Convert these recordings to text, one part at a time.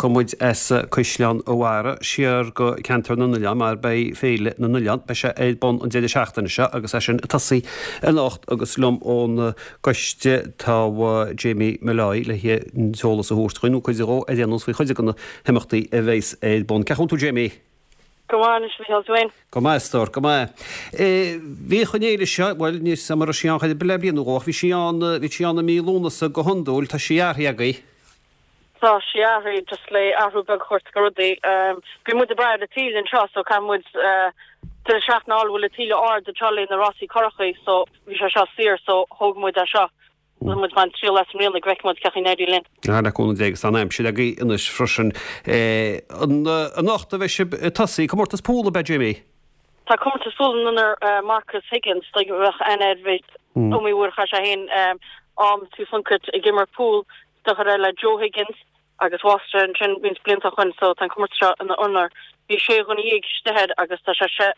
Tiocfaidh muid as Caisleán a' Bharraigh siar go Ceantar na nOileán mar beidh Féile na nOileán, beidh sé ar bun an deireadh seachtaine seo agus é sin ag tosaí anocht agus liom ón gcoiste tá Jamie Molloy le an t-eolas a thabhairt dhuinn, nó cuid dhó ar aon nós faoi chuid de na himeachtaí a bheas ar bun. Cén chaoi a bhfuil tú Jamie? Go maith anois, a Mhícheáil, tú fhéin? Go maith, a stór, go maith. Bhíodh an fhéile seo, bhuel, níl 'fhios a'm an raibh sí ann chor ar bith le bliain nó dhó, ach bhí sí ann, bhí sí ann i mí Lúnasa go hiondúil, tá sí athraithe agaibh. Tá sí athraithe, just le athrú beag a thabhairt go rudaí. Bhí muid ag brath ar an taoille anseo, so caithfidh muid deireadh seachtaine a fháil a bhfuil an taoille ard anseo le na rásaí currachaí, so bhí sé seo saor, so thóg muid é seo. Tá muid ag baint triail as i mbliana go bhfeicfidh muid cén chaoi a n-éiríonn linn. Ah, le cúnamh Dé agus tá an aimsir agaibh anois freisin. Anocht a bheidh sibh ag tosaí, comórtas pool ab ea, Jamie? Tá comórtas pool in onóir Marcus Higgins, dóigh a bheadh aithne air, bhí iomaí uair a chaith sé féin am Tí Phluincéid ag imirt pool, deartháir le Joe Higgins. agus bhásaigh sé ansin roinnt blianta ó shoin so tá an comórtas seo ina onóir. Bhí sé dhuine dhéag istigh air agus tá sé sé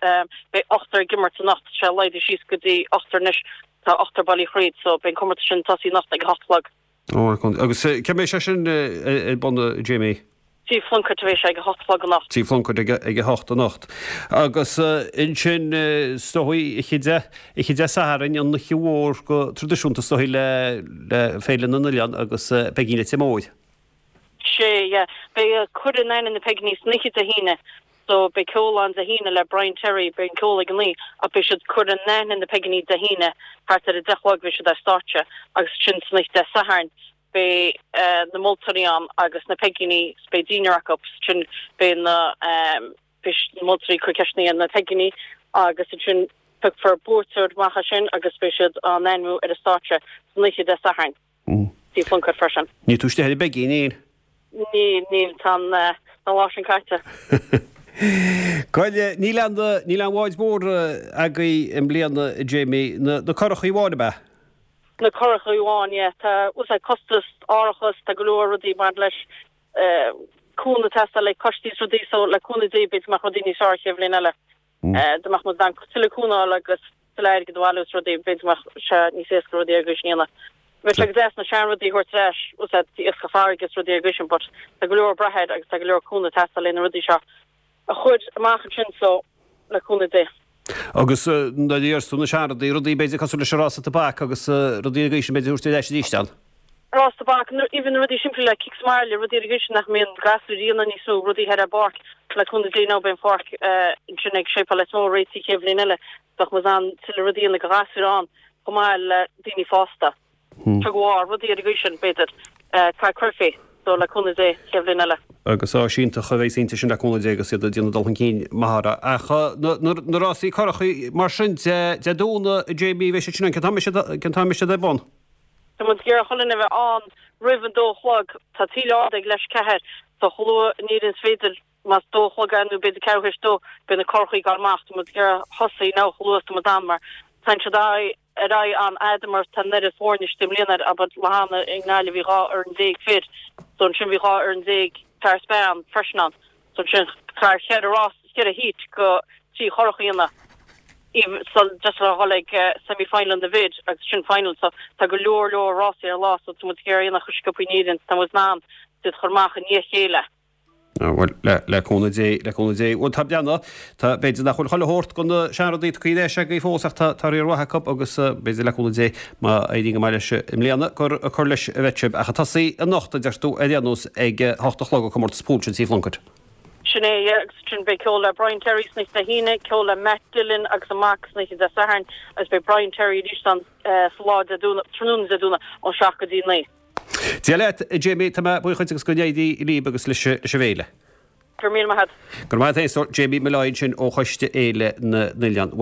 beidh ochtar ag imirt anocht, tá sé laghdaithe síos go dtí ochtar anois, tá ochtar bailithe thríd so beidh an comórtas sin ag tosaí anocht ag a hocht a chlog. Ó, agus cá mbeidh sé sin ar bun a Jamie? Tí Phluincéid a bheidh sé ag a hocht a chlog anocht. Tí Phluincéid ag a hocht anocht. Agus ansin is dóigh oíche Dé, oíche Dé Sathairn, an oíche mhór go traidisiúnta is dóigh le le Féile na nOileán agus Peigín Leitir Móir. Sé, yeah. Beidh cur in aithne na Peigíní san oíche Dé hAoine. So beidh ceol ann Dé hAoine le Brian Terry, beidh an ceol ag a naoi ach beidh siad cur in aithne na Peigíní Dé hAoine thart ar a deich a chlog beidh siad ar stáitse agus ansin san oíche Dé Sathairn beidh na moltóirí ann agus na Peigíní 's beidh dinnéar acu ansin beidh na beidh na moltóirí ag cur ceisteanna ar na Peigíní agus ansin piocfar buaiteoir amach as sin agus beidh siad á n-ainmiú ar an stáitse san oíche Dé Sathairn. Tí Phluincéid freisin. Níl tú istigh ar an bPeigín, níl? Níl, níl, tá an an lá sin caite. Bhuel, níl aon, níl aon bhád mór agaibh i mbliana, a Jamie. Na, na curachaí amháin, ab ea? Na curachaí amháin, yeah. Tá, bhfuil a fhios a'd, costas árachas, tá go leor rudaí ag baint leis, cúnamh ag teastáil le coistí is rudaí so le cúnamh Dé b'fhéidir go mbeadh rudaí níos fearr an chéad bhliain eile. Dá mbeadh muid in ann tuilleadh cúnamh a fháil agus tuilleadh airgid a bhailiú is rudaí, b'fhéidir go mbeadh sé níos éasca rudaí ar an gcaoi sin a dhéanamh. Bheadh sé go deas na seanrudaí a thabhairt ar ais, bhfuil a fhios a'd, iascach farraige is rudaí ar an gcaoi sin but tá go leor ag brath air agus tá go leor cúnamh ag teastáil le na rudaí seo a chur amach ansin so le cúnamh Dé. Agus nuair a deireas tú na seanrudaí, rudaí b'fhéidir cosúil leis an rása tobac agus rudaí ar an gcaoi sin b'fhéidir a thabhairt ar ais arís ann. Rás tobac, even na rudaí simplí le cic sa mbaile, rudaí ar an gcaoi sin nach mbíonn gasúir a dhéanamh níos mó, rudaí thoir ar an bpáirc, le cúnamh Dé now beidh an pháirc ansin ag Séipéal Leitir Móir réitithe an chéad bhliain eile, bheadh muid in ann tuilleadh rudaí a dhéanamh do ghasúir ann chomh maith le daoine fásta. Tug of war, rudaí ar an gcaoi sin, b'fhéidir. Craic curfá, so le cúnamh Dé, chéad bhliain eile. Agus áis iontach a bheas inti sin le cúnamh Dé agus iad ag déanamh dul chun cinn maith orthu. Ach na rásaí curachaí mar sin Dé Domhnaigh, a Jamie, bheidh siad sin ann, cén t-am a mbeidh siad ar bun? Tá muid ag iarraidh chuile dhuine a bheith ann roimh an dó a chlog. Tá taoille ard ag leath théis a ceathair, so chomh luath in Éirinn is féidir, más dó a chlog é nó b'fhéidir ceathrú théis dó, beidh na curachaí ag gabháil amach. Tá muid ag iarraidh thosaí now chomh luath is tá muid in ann mar tá siad ar aghaidh an-fhada mar tá an oiread foirne istigh i mbliana ar abair lá cheana i nGaillimh bhí 12 fhoireann fir so ansin bhí 12 fhoireann fear is bean freisin ann so ansin caithfear cheithre rás cheithre heat go trí churach a dhéanamh so just le dhul ag semi final na bhfir agus sin final so tá go leor leor rásaí ar an lá so tá muid ag iarraidh a dhéanamh chomh sciobtha in Éirinn tá muid in ann iad a chur amach i ndiaidh a chéile. Bhuel, le cúnamh Dé, le cúnamh Dé. Bhuel, tá breathnú, tá, b'fhéidir nach bhfuil chuile shórt de na seanrudaí tugtha ar ais agaibh fós ach tá, tá riar mhaith acu agus b'fhéidir le cúnamh Dé má éiríonn go maith leis i mbliana gur ag cur leis a bheidh sibh. Ach ag tosaí anocht, a deir tú, ar aon nós ag a hocht a chlog an comórtas pool sin Tí Phluincéid. Sin é, yeah, agus ansin beidh ceol le Brian Terry san oíche Dé hAoine, ceol le Matt Dillon agus a mac san oíche Dé Sathairn agus beidh Brian Terry arís ann sa lá Dé Domhnaigh, tráthnóna Dé Domhnaigh ón 7 go dtí 9. Dia leat, a Jamie, tá mé buíoch dhuit agus go n-éirí libh agus leis an bhféile. Go raibh míle maith agat. Go raibh maith agat féin, Jamie Molloy ansin ó Choiste Fhéile na nOileán.